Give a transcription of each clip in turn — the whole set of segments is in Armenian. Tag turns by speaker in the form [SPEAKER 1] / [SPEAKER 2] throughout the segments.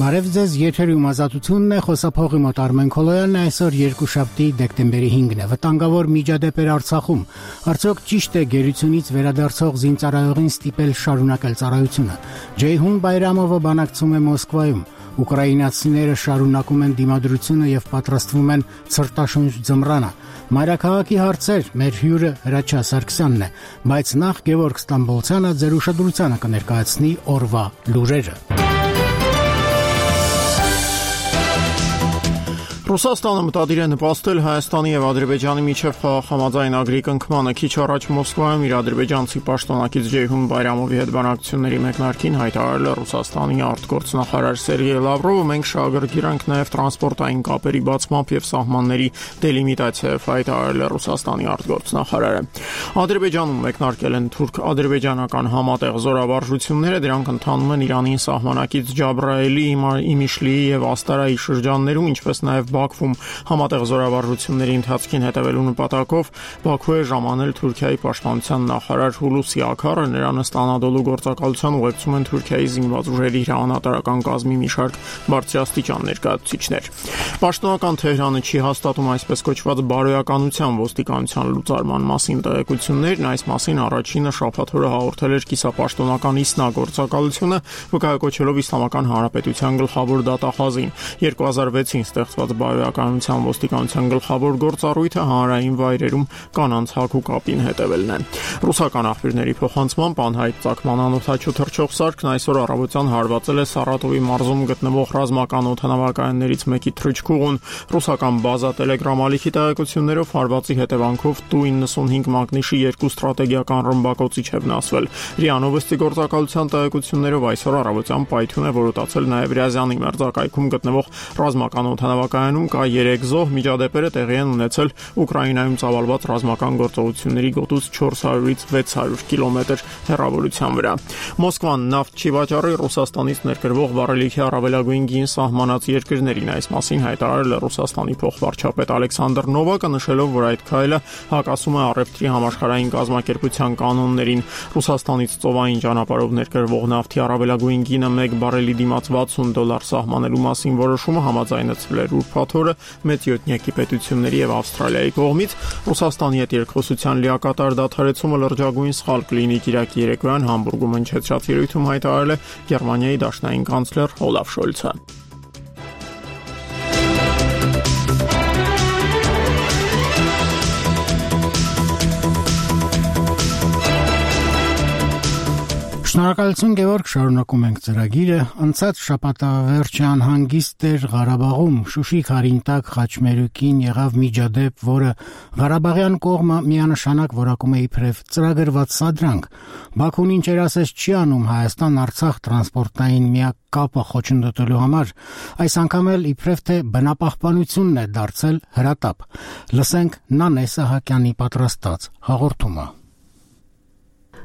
[SPEAKER 1] Բարև ձեզ, եթերում ազատությունն է, խոսափողի մոտ Արմեն Քոլոյանն է, այսօր երկուշաբթի դեկտեմբերի 5-ն է, վտանգավոր միջադեպեր Արցախում, արդյոք ճիշտ է գերությունից վերադարձող զինծառայողին ստիպել շարունակել ծառայությունը, Ջեյհուն Բայրամովը բանակցում է Մոսկվայում, ուկրաինացիները շարունակում են դիմադրությունը և պատրաստվում են ցրտաշունչ ձմռանը, մայրաքաղաքի հարցեր, մեր հյուրը Հրաչյա Սարգսյանն է, բայց նախ Գևորգ Ստամբոլցյանը ձեր ուշադրությանը կներկայացնի օրվա լուրերը։
[SPEAKER 2] Ռուսաստանը մտադիր է նպաստել Հայաստանի և Ադրբեջանի միջև խաղաղամարզային կնքմանը քիչ առաջ Մոսկվայում իր ադրբեջանցի պաշտոնակից Ջեյհուն Բայրամովի հետ բանակցությունների մեկնարկին հայտարարել է Ռուսաստանի արտգործնախարար Սերգեյ Լավրովը, մենք շահագրգիռ ենք նաև տրանսպորտային կապերի բացմամբ և սահմանների դելիմիտացիայով, հայտարարել է Ռուսաստանի արտգործնախարարը։ Ադրբեջանում մեկնարկել են թուրք-ադրբեջանական համատեղ զորավարժությունները, դրանք ընթանում են Իրանին սահմանակից Ջաբրայելի, Իմիշլիի և Աստարայի շրջաններում, ինչպես նաև Բաքվում համատեղ զորավարժությունների ընթացքին հետևելու նպատակով Բաքու է ժամանել Թուրքիայի պաշտպանության նախարար Հուլուսի Աքարը, նրան ըստ Անադոլու գործակալության ուղեկցում են Թուրքիայի զինված ուժերի հրամանատարական կազմի մի շարք բարձրաստիճան ներկայացուցիչներ։ Պաշտոնական Թեհրանը չի հաստատում այսպես կոչված բարոյականության ոստիկանության լուծարման մասին տեղեկություններն, այս մասին առաջինը շաբաթ օրը հաղորդել էր կիսապաշտոնական ԻՍՆԱ գործակալությունը, վկայակոչելով Իսլամական Հանրապետության գլխավոր դատախազին։ 2006-ին ստեղծված բարոյականության ոստիկանության գլխավոր գործառույթը հանրային վայրերում կանանց հագու կապին հետևելն է։ Ռուսական աղբյուրների փոխանցմամբ անհայտ ծագման անօդաչու թռչող սարքն այսօր առավոտյան հարվածել է Սարատովի մարզում գտնվող ռազմական օդանավակայաններից մեկի թռչքուղուն։ Ռուսական բազա Telegram ալիքի տեղեկություններով հարվածի հետևանքով Tu-95 մագնիշի 2 ստրատեգիական ռմբակոծիչ է վնասվել։ ՌԻԱ Նովոստի գործակալության տեղեկություններով այսօր առավոտյան պայթյուն է որոտացել նաև Ռյազանի մերձակայքում գտնվող ռազմական օդանավակայանում կա 3 զոհ, միջադեպերը տեղի են ունեցել Ուկրաինայում ծավալված ռազմական գործողությունների գոտուց 400-ից 600 կիլոմետր հեռավորության վրա։ Մոսկվան նավթ չի վաճառի Ռուսաստանից ներկրվող վառելիքի առավելագույն գին սահմանած երկրներին, այս մասին հայտարարել է Ռուսաստանի փոխվարչապետ Ալեքսանդր Նովակը, նշելով, որ այդ քայլը հակասում է առևտրի համաշխարհային կազմակերպության կանոններին։ Ռուսաստանից ծովային ճանապարհով ներկրվող նավթի առավելագույն գինը 1 բարելի դիմաց $60 սահմանելու մասին որոշումը համաձայնեցվել էր ուրբաթ օրը մեծ յոթնյակի պետությունների և Ավստրալիայի կողմից։ Ռուսաստանի հետ երկխոսության լիակատար դադարեցումը լրջագույն սխալ կլինի, կիրակի երեկոյան Համբուրգում հնչեցրած ելույթում հայտարարել է Գերմանիայի դաշնային կանցլեր Օլաֆ Շոլցը։
[SPEAKER 1] Շնորհակալություն Գևորգ, շարունակում ենք ծրագիրը։ Անցած շաբաթավերջյան հանգիստ էր Ղարաբաղում, Շուշի Խարինտակ Խաչմերուկին եղավ միջադեպ, որը Ղարաբաղյան կողմը միանշանակ որակում է իբրև ծրագրված սադրանք։ Բաքուն ինչեր ասես չի անում Հայաստան-Արցախ տրանսպորտային միակ կապը խոչընդոտելու համար, այս անգամ էլ իբրև թե բնապահպանությունն է դարձել հրատապ։ Լսենք Նանե Սահակյանի պատրաստած հաղորդումը։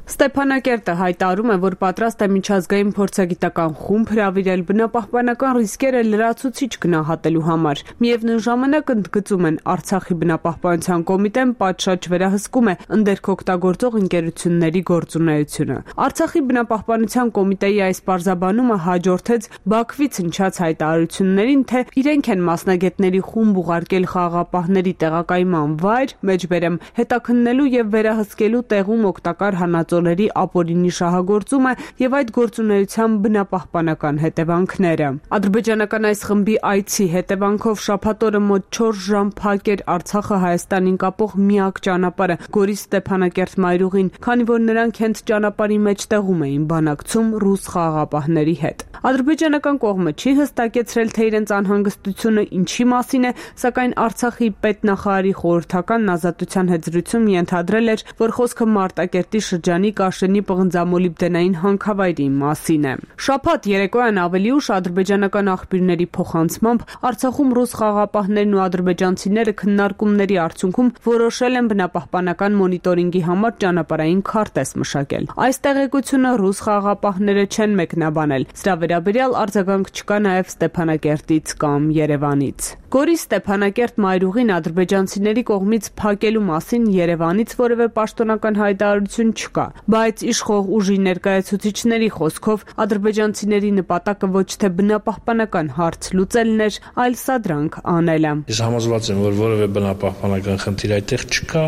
[SPEAKER 3] Ստեփանակերտը հայտարարում է, որ պատրաստ է միջազգային փորձագիտական խումբ հրավիրել բնապահպանական ռիսկերը լրացուցիչ գնահատելու համար։ Միևնույն ժամանակ ընդգծում են Արցախի բնապահպանության կոմիտեն պատշաճ վերահսկում է ընդերք օգտագործող ընկերությունների գործունեությունը։ Արցախի բնապահպանության կոմիտեի այս պարզաբանումը հաջորդեց Բաքվից հնչած հայտարարություններին, թե իրենք են մասնագետների խումբ ուղարկել խաղաղապահների տեղակայման վայր, մեջբերեմ հետաքննելու եւ վերահսկելու տեղում օգտակար հանածոների ապօրինի շահագործումը եւ այդ գործունեության բնապահպանական հետևանքները։ Ադրբեջանական այս խմբի այցի հետևանքով շաբաթ օրը մոտ 4 ժամ փակ էր Արցախը Հայաստանին կապող միակ ճանապարհը Գորիս Ստեփանակերտ մայրուղին, քանի որ նրանք հենց ճանապարհի մեջտեղում էին բանակցում ռուս խաղաղապահների հետ։ Ադրբեջանական կողմը չի հստակեցրել, թե իրենց անհանգստությունը ինչի մասին է, սակայն Արցախի պետնախարարի խորհրդականն Ազատության հետ զրույցում ենթադրել էր, որ խոսքը Մարտակերտի շրջանի Կաշենի պղնձամոլիբդենային հանքավայրի մասին է։ Շաբաթ երեկոյան ավելի ուշ ադրբեջանական աղբյուրների փոխանցմամբ Արցախում ռուս խաղաղապահներն ու ադրբեջանցիները քննարկումների արդյունքում որոշել են բնապահպանական մոնիտորինգի համար ճանապարհային քարտեզ մշակել։ Այս տեղեկությունը ռուս խաղաղապահները չեն մեկնաբանել։ Սրա վերաբերյալ արձագանք չկա նաև Ստեփանակերտից կամ Երևանից։ Գորիս Ստեփանակերտ մայրուղին ադրբեջանցիների կողմից փակելու մասին Երևանից որևէ պաշտոնական հայտարարություն չկա։ բայց իշխող ուժի ներկայացուցիչների խոսքով ադրբեջանցիների նպատակը ոչ թե բնապահպանական հարց լուծելն էր, այլ սադրանք անելը։
[SPEAKER 4] Ես համոզված եմ, որ որևէ բնապահպանական խնդիր այդտեղ չկա,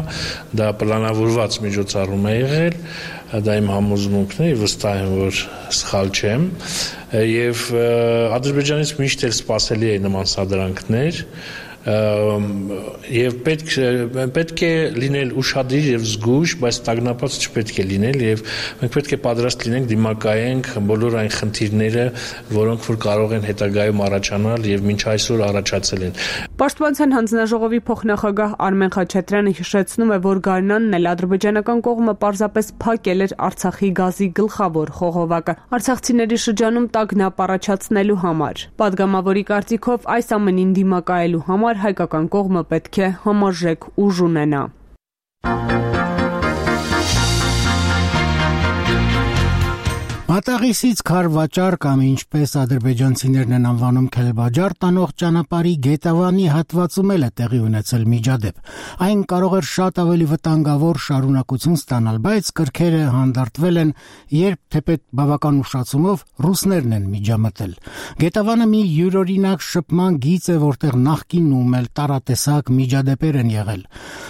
[SPEAKER 4] դա պլանավորված միջոցառում է եղել, դա իմ համոզմունքն է, վստահ եմ, որ սխալ չեմ, եւ Ադրբեջանից միշտ էլ սպասելի է նման սադրանքներ, եւ պետք է լինել ուշադիր եւ զգույշ, բայց տագնապած չպետք է լինել եւ մենք պետք է պատրաստ լինենք դիմակայենք բոլոր այն խնդիրները, որոնք որ կարող են հետագայում առաջանալ եւ մինչ այսօր առաջացել են։
[SPEAKER 3] Պաշտպանության հանձնաժողովի փոխնախագահ Արմեն Խաչատրյանը հիշեցնում է, որ գարնանն էլ ադրբեջանական կողմը պարզապես փակել էր Արցախի գազի գլխավոր խողովակը արցախցիների շրջանում տագնապ առաջացնելու համար։ Պատգամավորի կարծիքով այս ամենին դիմակայելու համար հայկական կողմը պետք է համարժեք ուժ ունենա։
[SPEAKER 1] Մատաղիսից Քարվաճար կամ ինչպես ադրբեջանցիներն են անվանում Քելբաջար տանող ճանապարհի Գետավանի հատվածում էլ է տեղի ունեցել միջադեպ։ Այն կարող էր շատ ավելի վտանգավոր շարունակություն ստանալ, բայց կրքերը հանդարտվել են, երբ թեպետ բավական ուշացումով ռուսներն են միջամտել։ Գետավանը մի յուրօրինակ շփման գիծ է, որտեղ նախկինում էլ տարատեսակ միջադեպեր են եղել։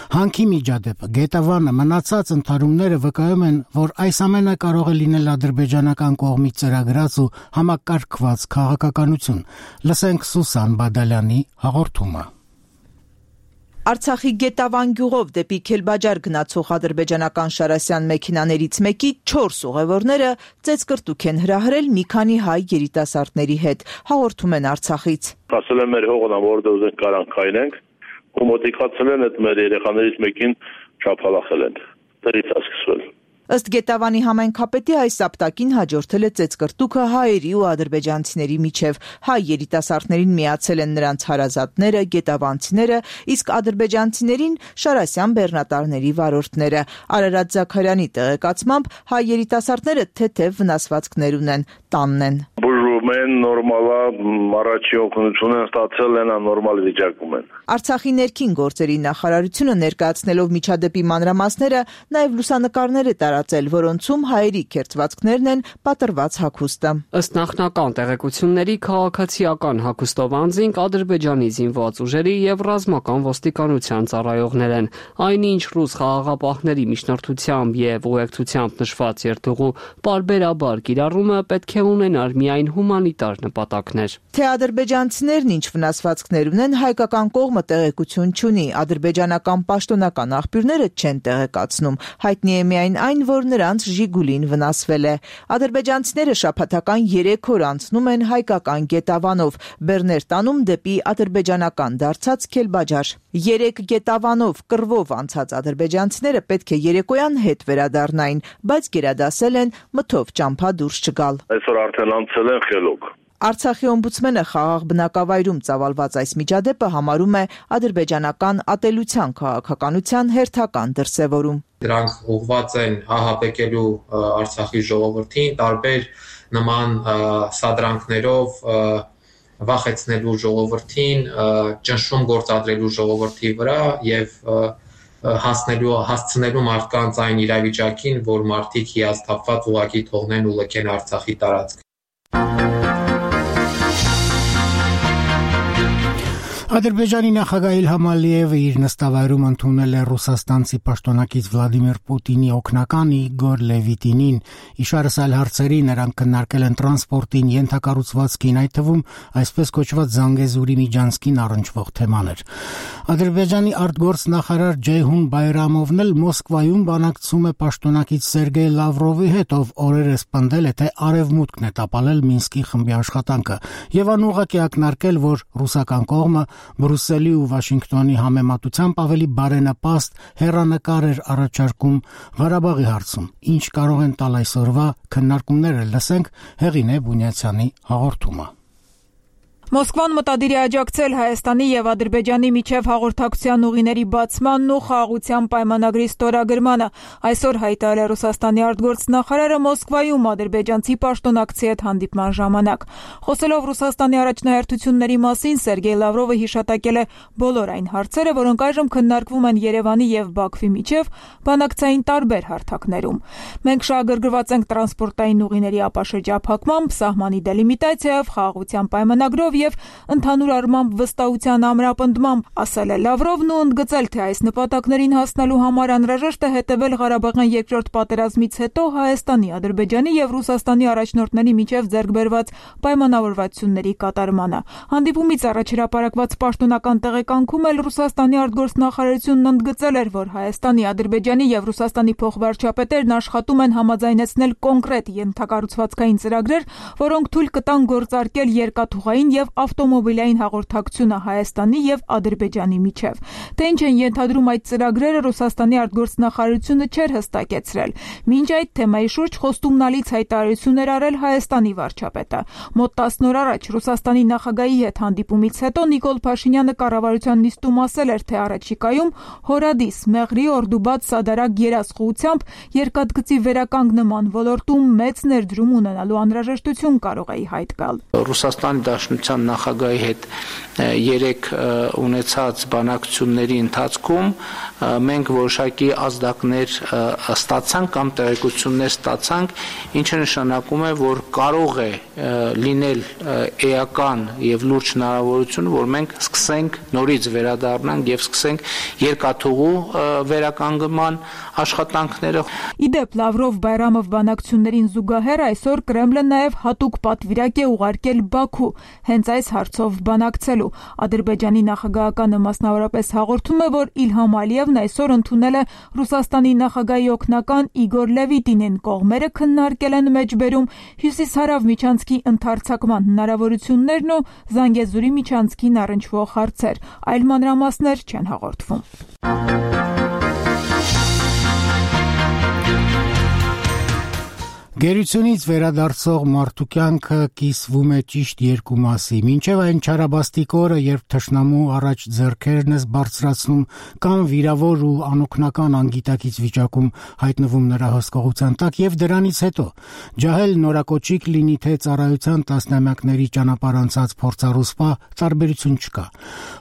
[SPEAKER 1] Հանքի միջադեպը, Գետավանը, մնացած ընդհարումները վկայում են, որ այս ամենը կարող է լինել ադրբեջանական կողմից ծրագրած ու համակարգված քաղաքականություն։ Լսենք Սուսան Բադալյանի հաղորդումը։
[SPEAKER 5] Արցախի Գետավան գյուղով դեպի Քելբաջար գնացող ադրբեջանական շարասյան մեքենաներից մեկի 4 ուղևորները ծեծկրտուք են հրահրել մի քանի հայ երիտասարդների հետ, հաղորդում են Արցախից։
[SPEAKER 6] Ասել են մեր հողն, որտեղ ուզենք կարան քայլենք, ու մոտիկացել են այդ մեր երեխաներից մեկին շափալախել են։ Դրից է սկսվել։
[SPEAKER 5] Ըստ Գետավանի համայնքապետի այս սապտակին հաջորդել է ծեծկրտուքը հայերի ու ադրբեջանցիների միջև։ Հայ երիտասարդներին միացել են նրանց հարազատները, գետավանցիները, իսկ ադրբեջանցիներին շարասյան բեռնատարների վարորդները։ Արարատ Զաքարյանի տեղեկացմամբ հայ երիտասարդները թեթև վնասվածքներ ունեն, տանն են։
[SPEAKER 6] Բուժում են, նորմալա առաջի օգնություն են ստացել, նորմալ վիճակում են։
[SPEAKER 5] Արցախի ներքին գործերի նախարարությունը ներկայացնելով միջադեպի մանրամասները նաև լուսանկարներ է տարածել, որոնցում հայերի քերծվածքներն են պատրված հագուստը։
[SPEAKER 7] Ըստ նախնական տեղեկությունների քաղաքացիական հագուստով անձինք Ադրբեջանի զինված ուժերի եւ ռազմական ոստիկանության ծառայողներ են։ Այնինչ ռուս խաղաղապահների միջնորդությամբ եւ ուղեկցությամբ նշված երթուղու պարբերաբար կիրառումը պետք է ունենար միայն հումանիտար նպատակներ։
[SPEAKER 5] Թե ադրբեջանցիներն ինչ վնասվածքներ ունեն, հայկական կողմը տեղեկություն չունի, ադրբեջանական պաշտոնական աղբյուրները չեն տեղեկացնում։ Հայտնի է միայն այն, որ նրանց Ժիգուլին վնասվել է։ Ադրբեջանցիները շաբաթական 3 օր անցնում են հայկական Գետավանով, բեռներ տանում դեպի ադրբեջանական դարձած Քելբաջար։ 3 Գետավանով կռվով անցած ադրբեջանցիները պետք է երեկոյան հետ վերադառնային, բայց գերադասել են մթով ճամփա դուրս չգալ։
[SPEAKER 6] Այսօր արդեն անցել են խելոք։
[SPEAKER 5] Արցախի օմբուդսմենը խաղաղ բնակավայրում ծավալված այս միջադեպը համարում է ադրբեջանական ատելության քաղաքականության հերթական դրսևորում։
[SPEAKER 8] Դրանք ուղղված են ահաբեկելու Արցախի ժողովրդին, տարբեր նման սադրանքներով վախեցնելու ժողովրդին, ճնշում գործադրելու ժողովրդի վրա եւ հասցնելու մարդկանց այն իրավիճակին, որ մարդիկ հիասթափված ուղղակի թողնեն ու լքեն Արցախի տարածքը։
[SPEAKER 1] Ադրբեջանի նախագահ Իլհամ Ալիևը իր նստավայրում ընդունել է ռուսաստանցի պաշտոնակից Վլադիմիր Պուտինի օգնական Իգոր Լևիտինին։ Իշարս այլ հարցերի նրանք քննարկել են տրանսպորտին, ենթակառուցվածքին, այդ թվում այսպես կոչված Զանգեզուրի Միջանցքին առնչվող թեմաներ։ Ադրբեջանի արտգործնախարար Ջեյհուն Բայրամովն էլ Մոսկվայում բանակցում է պաշտոնակից Սերգեյ Լավրովի հետ, ով օրերս պնդել է, թե արևմուտքն է տապալել Մինսկի խմբի աշխատանքը, եւ անուղղակի ակնարկել, որ ռուսական կողմը Բրուսելի ու Վաշինգտոնի համեմատությամբ ավելի բարենպաստ հեռանկար էր առաջարկում Ղարաբաղի հարցում։ Ինչ կարող են տալ այսօրվա քննարկումները, լսենք Հեղինե Բունյացյանի հաղորդումը։
[SPEAKER 9] Մոսկվան մտադիր է աջակցել Հայաստանի եւ Ադրբեջանի միջև հաղորդակցության ուղիների բացմանն ու խաղաղության պայմանագրի ստորագրմանը։ Այսօր հայտարարել է Ռուսաստանի արտգործնախարարը Մոսկվայում ադրբեջանցի պաշտոնակցի հետ հանդիպման ժամանակ։ Խոսելով Ռուսաստանի առաջնահերթությունների մասին, Սերգեյ Լավրովը հիշատակել է բոլոր այն հարցերը, որոնք այժմ քննարկվում են Երևանի եւ Բաքվի միջև բանակցային տարբեր հարթակներում։ Մենք շահագրգռված ենք տրանսպորտային ուղիների ապաշրջափակմամբ, սահմանի դելիմիտացիայով, խաղաղության պայմանագրով եւ ընդհանուր առմամբ վստահության ամրապնդմամբ, ասել է Լավրովն ու ընդգծել, թե այս նպատակներին հասնելու համար անհրաժեշտ է հետևել Ղարաբաղյան երկրորդ պատերազմից հետո Հայաստանի, Ադրբեջանի եւ Ռուսաստանի առաջնորդների միջև ձեռքբերված պայմանավորվածությունների կատարմանը։ Հանդիպումից առաջ հրապարակված պաշտոնական տեղեկանքում էլ Ռուսաստանի արտգործնախարարությունն ընդգծել էր, որ Հայաստանի, Ադրբեջանի եւ Ռուսաստանի փոխվարչապետերն աշխատում են համաձայնեցնել կոնկրետ ենթակառուցվածքային ծրագրեր, որոնք թույլ կտան գործարկել երկաթուղային եւ ավտոմոբիլային հաղորդակցությունը Հայաստանի եւ Ադրբեջանի միջև։ Թե ինչ են ենթադրում այդ ծրագրերը, Ռուսաստանի արտգործնախարարությունը չէր հստակեցրել։ Մինչ այդ թեմայի շուրջ խոստումնալից հայտարարություններ արել Հայաստանի վարչապետը։ Մոտ 10 օր առաջ Ռուսաստանի նախագահի հետ հանդիպումից հետո Նիկոլ Փաշինյանը կառավարության նիստում ասել էր, թե առաջիկայում Հորադիս, Մեղրի, Օրդուբադ, Սադարակ երաշխությամբ երկաթգծի վերականգնման ոլորտում մեծ ներդրում ունենալու անհրաժեշտություն կարող է ի հայտ գալ։
[SPEAKER 10] Ռուսաստանի Դաշնության նախագահի հետ 3 ունեցած բանակցությունների ընթացքում մենք որոշակի ազդակներ ստացանք կամ տեղեկություններ ստացանք, ինչը նշանակում է, որ կարող է լինել էական եւ լուրջ հնարավորություն, որ մենք սկսենք նորից վերադառնանք եւ սկսենք երկաթուղու վերականգնման աշխատանքները։
[SPEAKER 9] Իդեպ Լավրով Բայրամով բանակցություններին զուգահեռ այսօր Կրեմլը նաեւ հատուկ պատվիրակ է ուղարկել Բաքու հենց այս հարցով բանակցելու։ Ադրբեջանի նախագահականը մասնավորապես հաղորդում է, որ Իլհամ Ալիևն այսօր ընդունել է Ռուսաստանի նախագահի օգնական Իգոր Լևիտինին։ Կողմերը քննարկել են մեջբերում հյուսիս-հարավ միջանցքի ընդարձակման հնարավորություններն ու Զանգեզուրի միջանցքին առնչվող հարցեր։ Այլ մանրամասներ չեն հաղորդվում։
[SPEAKER 1] Գերությունից վերադարձող մարդու կյանքը կիսվում է ճիշտ երկու մասի։ Մինչև այն չարաբաստիկ օրը, երբ թշնամու առաջ ձեռքերն ես բարձրացնում կամ վիրավոր ու անօգնական անգիտակից վիճակում հայտնվում նրա հսկողության տակ, եւ դրանից հետո ջահել նորակոչիկ լինի թե ծառայության տասնամյակների ճանապարհ անցած փորձառուսպա, տարբերություն չկա։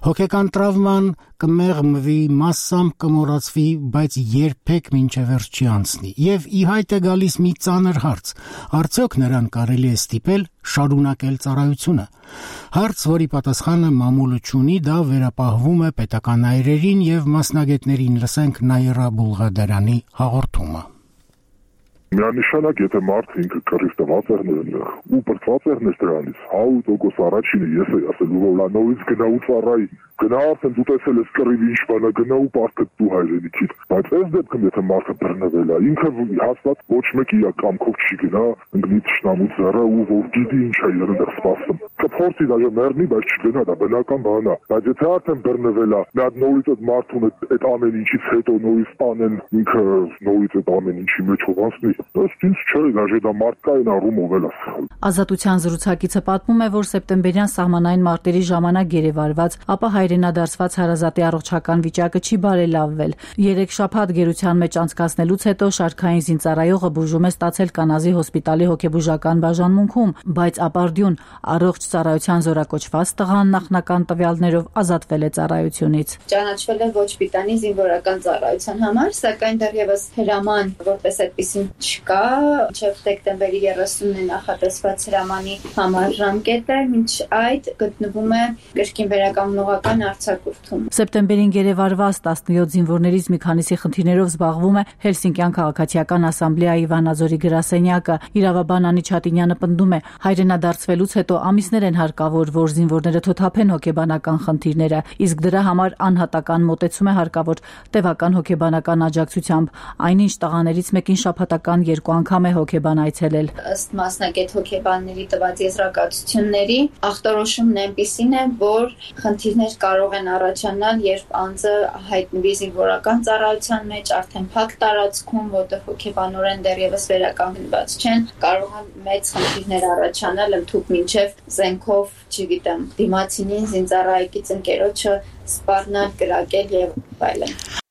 [SPEAKER 1] Հոգեկան տրավման կմեղմվի, մասսամ կմոռացվի, բայց երբեք մինչև վերջ չի անցնի։ Եվ ի հայտ է գալիս մի ծանր հարց. արդյոք նրան կարելի է ստիպել շարունակել ծառայությունը։ Հարց, որի պատասխանը մամուլը չունի, դա վերապահվում է պետական այրերին եւ մասնագետներին։ Լսենք Նաիրա Բուլղադարյանի հաղորդումը։
[SPEAKER 11] Միանշանակ, եթե մարդը ինքը կռիվ տված է ու բրծված է դրանից, 100% առաջինը ես էի ասելու, որ լա նորից գնա ու ծառայի, գնա արդեն դու տեսել ես կռիվի ինչ բան է, գնա ու պարտետ դու հայրենիքիդ։ Բայց այս դեպքում եթե մարդը բռնվել է, ինքը հաստատ ոչ մեկի կամքով չի գնա, ընկնի թշնամու ձեռը ու որ գիտի ինչ է երանդեղ սպասում։ Կփորձի դաժե մեռնի, բայց չգնա, դա բնական բան է։ Բայց եթե արդեն բռնվել է, նա նորից այդ մարդուն այդ ամեն ինչից հետո նորից տանեն, ինքը նորից այդ ամեն ինչի մեջ հովանցնի։ Ըստ ինձ չէ, դաժե դա մարդկային առումով էլ է սխալ։
[SPEAKER 12] Ազատության զրուցակիցը պատմում է, որ սեպտեմբերյան սահմանային մարտերի ժամանակ գերեվարված, ապա հայրենադարձված հարազատի առողջական վիճակը չի բարելավվել։ 3 շաբաթ գերության մեջ անցկացնելուց հետո շարքային զինծառայողը բուժում է ստացել Կանազի հոսպիտալի հոգեբուժական բաժանմունքում, բայց ապարդյուն առողջ ծառայության զորակոչված տղան նախնական տվյալներով ազատվել է ծառայությունից։
[SPEAKER 13] Ճանաչվել է ոչ պիտանի զինվորական ծառայության համար, սակայն դեռևս հրաման որպես այդպեսին չկա, մինչև դեկտեմբերի 30-ն է նախատեսված հրամանի համար ժամկետը, մինչ այդ գտնվում է կրկին վերականգնողական արձակուրդում։
[SPEAKER 12] Սեպտեմբերին գերեվարված 17 զինվորներից մի քանիսի խնդիրներով զբաղվում է Հելսինկյան քաղաքացիական ասամբլեայի Վանաձորի գրասենյակը։ Իրավաբան Անի Չատինյանը պնդում է, հայրենադարձվելուց հետո ամիսներ են հարկավոր, որ զինվորները թոթափեն հոգեբանական խնդիրները, իսկ դրա համար անհատական մոտեցում է հարկավոր տևական հոգեբանական աջակցությամբ։ Այնինչ տղաներից մեկին շաբաթական տարեկան 2 անգամ է հոգեբան այցելել։
[SPEAKER 13] Ըստ մասնագետ հոգեբանների տված եզրակացությունների, ախտորոշումն այնպիսին է, որ խնդիրներ կարող են առաջանալ, երբ անձը հայտնվի զինվորական ծառայության մեջ, արդեն փակ տարածքում, որտեղ հոգեբանորեն դեռևս վերականգնված չեն, կարող են մեծ խնդիրներ առաջանալ ընդհուպ մինչև զենքով, չգիտեմ, դիմացինին, զինծառայեկից ընկերոջը սպառնալ, կրակել եւ այլն։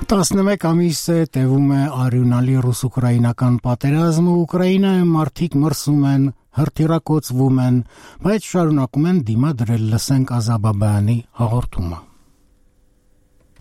[SPEAKER 1] Տասնմեկ ամիս է տևում է արյունալի ռուս-ուկրաինական պատերազմը, Ուկրաինայում մարդիկ մրսում են, հրթիռակոծվում են, բայց շարունակում են դիմադրել, լսենք Ազաբաբայանի հաղորդումը։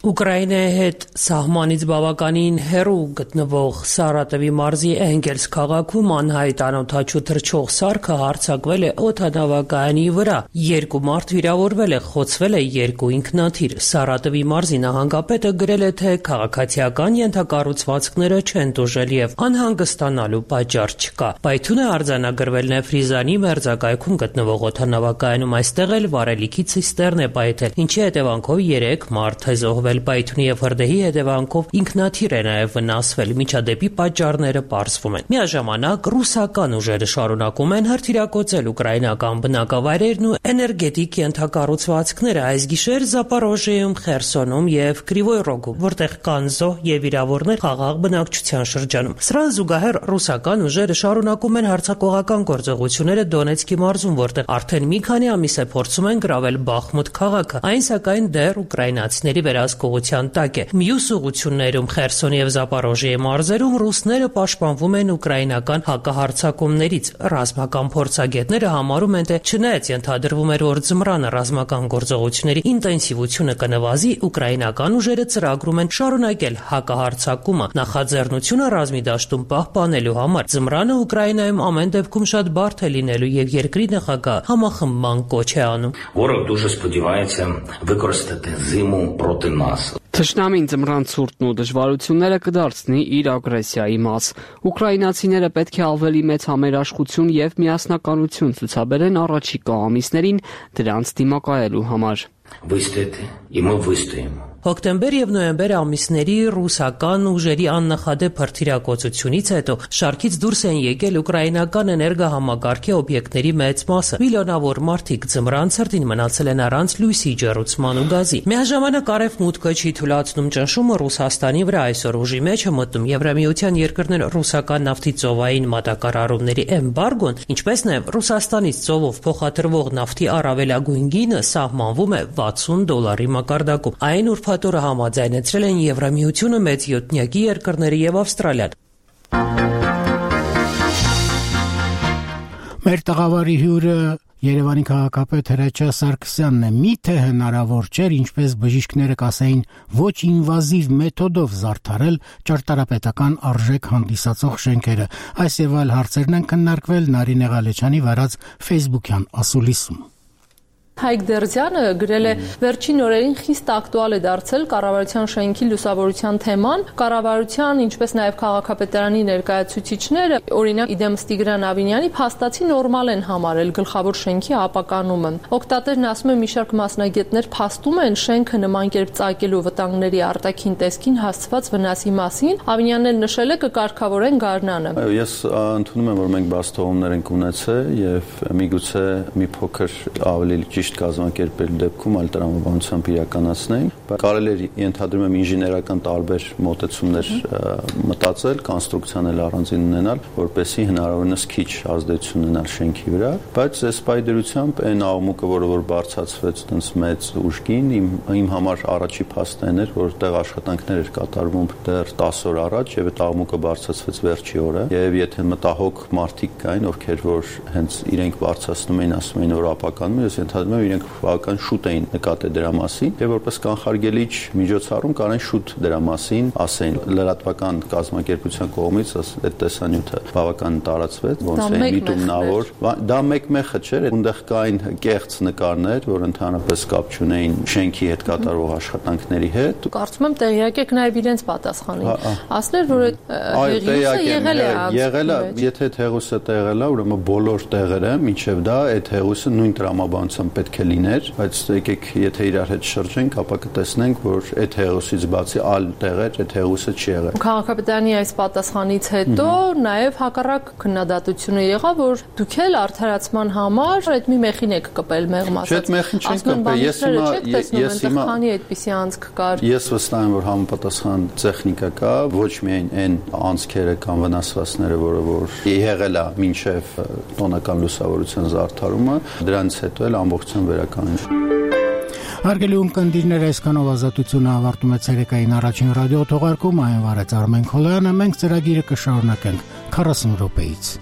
[SPEAKER 14] Ուկրաինայի հետ սահմանից բավականին հեռու գտնվող Սարատովի մարզի Էնգելս քաղաքում անհայտ անօդաչու թռչող սարքը հարձակվել է օդանավակայանի վրա։ 2 մարդ վիրավորվել է, խոցվել է 2 ինքնաթիռ։ Սարատովի մարզի նահանգապետը գրել է, թե քաղաքացիական ենթակառուցվածքները չեն տուժել եւ անհանգստանալու պատճառ չկա։ Պայթյուն է արձանագրվել Նեֆրիզանի մերձակայքում գտնվող օդանավակայանում, այստեղ էլ վարելիքի ցիստեռն է պայթել, ինչի հետևանքով 3 մարդ է զոհվել։ Պայթյունի եւ հրդեհի հետևանքով ինքնաթիռ է նաեւ վնասվել։ Միջադեպի պատճառները պարզվում են։ Միաժամանակ ռուսական ուժերը շարունակում են հրթիռակոծել ուկրաինական բնակավայրերն ու էներգետիկ ենթակառուցվածքները։ Այս գիշեր Զապորոժիեում, Խերսոնում եւ Կրիվոյ Ռոգում, որտեղ կան զոհ եւ վիրավորներ խաղաղ բնակչության շրջանում։ Սրան զուգահեռ ռուսական ուժերը շարունակում են հարձակողական գործողությունները Դոնեցկի մարզում, որտեղ արդեն մի քանի ամիս է փորձում են գրավել Բախմուտ քաղաքը։ Այն սակայն դեռ ուկրաինացիների վերահսկողության տակ է։ Մյուս ուղություններում Խերսոնի եւ Զապորոժիեի մարզերում ռուսները պաշտպանվում են ուկրաինական հակահարձակումներից։ Ռազմական փորձագետները համարում են, թե չնայած ենթադրվում էր, որ ձմռանը ռազմական գործողությունների ինտենսիվությունը կնվազի, ուկրաինական ուժերը ծրագրում են շարունակել հակահարձակումը նախաձեռնությունը ռազմի դաշտում պահպանելու համար։ Ձմռանը Ուկրաինայում ամեն դեպքում շատ բարդ է լինելու եւ երկրի նախագահ համախմբման կոչ է անում։
[SPEAKER 15] Ворог дуже сподівається використати зиму проти нас.
[SPEAKER 7] Թշնամին ձմռան ցուրտն ու դժվարությունները կդարձնի իր ագրեսիայի մաս։ Ուկրաինացիները պետք է ավելի մեծ համերաշխություն եւ միասնականություն ցուցաբերեն առաջիկա ամիսներին դրանց դիմակայելու համար։
[SPEAKER 15] Вистояти, і ми вистоїмо.
[SPEAKER 14] Հոկտեմբեր եւ նոյեմբեր ամիսների ռուսական ուժերի աննախադեպ հրթիռակոծությունից հետո շարքից դուրս են եկել ուկրաինական էներգահամակարգի օբյեկտների մեծ մասը։ Միլիոնավոր մարդիկ ձմռան ցրտին մնացել են առանց լույսի, ջեռուցման ու գազի։ Միաժամանակ արևմուտքը չի թույլատնում ճնշումը Ռուսաստանի վրա։ Այսօր ուժի մեջ է մտնում Եվրամիության երկրներ ռուսական նավթի ծովային մատակարարումների էմբարգոն, ինչպես նաեւ Ռուսաստանից ծովով փոխադրվող նավթի առավելագույն գինը սահմանվում է $60 մակարդակում։ Այն ուրբաթօրը համաձայնեցրել են Եվրամիությունը, մեծ յոթնյակի երկրները եւ Ավստրալիան։
[SPEAKER 1] Մեր տաղավարի հյուրը Երևանի քաղաքապետ Հրաչյա Սարգսյանն է։ Միթե հնարավոր չէր, ինչպես բժիշկները կասեին, ոչ ինվազիվ մեթոդով զարդարել ճարտարապետական արժեք հանդիսացող շենքերը։ Այս եւ այլ հարցերն են քննարկվել Նարինե Ղալեչյանի վարած Facebook-յան ասուլիսում։
[SPEAKER 16] Հայկ Դերձյանը գրել է վերջին օրերին խիստ ակտուալ է դարձել կառավարության շենքի լուսավորության թեման։ Կառավարության, ինչպես նաև քաղաքապետարանի ներկայացուցիչները, օրինակ իդեմս Տիգրան Ավինյանի, փաստացի նորմալ են համարել գլխավոր շենքի ապականումը։ Օգտատերն ասում է, մի շարք մասնագետներ փաստում են շենքը նման կերպ ծագելու վտանգների արտաքին տեսքին հասցված վնասի մասին։ Ավինյանն էլ նշել է կկարգավորեն գարնանը։
[SPEAKER 17] Ես ընդունում եմ, որ մենք բաստողումներ ենք ունեցել եւ միգուցե մի փոքր ավելի կազմակերպել դեպքում այլ տրամաբանությամբ իրականացնենք, բայց կարելի է ենթադրում եմ ինժեներական տարբեր մոտեցումներ մտածել, կոնստրուկցիան էլ առանձին ունենալ, որպեսզի հնարավորինս քիչ ազդեցություն ունենալ շենքի վրա, բայց այս պայդերությամբ այն աղմուկը, որ բարձրացվեց այնց մեծ ուժգին, իմ համար առաջի փաստն էր, որ տեղ աշխատանքներ էր կատարվում դեռ 10 օր առաջ եւ այդ աղմուկը բարձրացվեց վերջի օրը, եւ եթե մտահոգ մարդիկ կային, ովքեր որ հենց իրենք բարձրացնում էին, ասում էին, որ ապականում է, ես ենթադրում եմ իրենք բավական շուտ էին նկատել դրա մասին եւ որպես կանխարգելիչ միջոցառում կարեն շուտ դրա մասին ասեն լրատվական կազմակերպության կողմից այդ տեսանյութը բավական տարածվեց ոնց է միտումնավոր դա մեկ-մեխը չէր այնտեղ կային կեղծ նկարներ որ ընդհանրապես կապ չունեին շենքի հետ կատարվող աշխատանքների հետ
[SPEAKER 16] կարծում եմ տեղյակ եք նաեւ իրենց պատասխանին ասներ որ այդ
[SPEAKER 17] եղել է եթե այդ հեղուսը տեղել է ուրեմն բոլոր տեղերը մինչեւ դա այդ հեղուսը նույն տրամաբանությամբ պետք է լիներ, բայց եկեք եթե իրար հետ շրջենք, ապա կտեսնենք, որ այդ հեղուսից բացի այլ տեղեր այդ հեղուսը չի եղել։
[SPEAKER 16] Քաղաքապետարանի այս պատասխանից հետո նաև հակառակ քննադատությունը եղավ, որ դուք էլ արդարացման համար այդ մի մեխին եք կպել մեղմ ասած։ Ես հիմա քանի այդպիսի անցք կար։
[SPEAKER 17] Ես վստահ եմ, որ համապատասխան տեխնիկա կա, ոչ միայն այն անցքերը կամ վնասվածքները, որը որ եղել է մինչև տոնական լուսավորության զարդարումը, դրանից հետո էլ ամբողջությամբ վերականգնվի։
[SPEAKER 1] Հարգելի ունկնդիրներ, այսքանով ազատությունը ավարտում է ցերեկային առաջին ռադիո թողարկումը, այն վարեց Արմեն Քոլոյանը, մենք ծրագիրը կշարունակենք 40 րոպեից։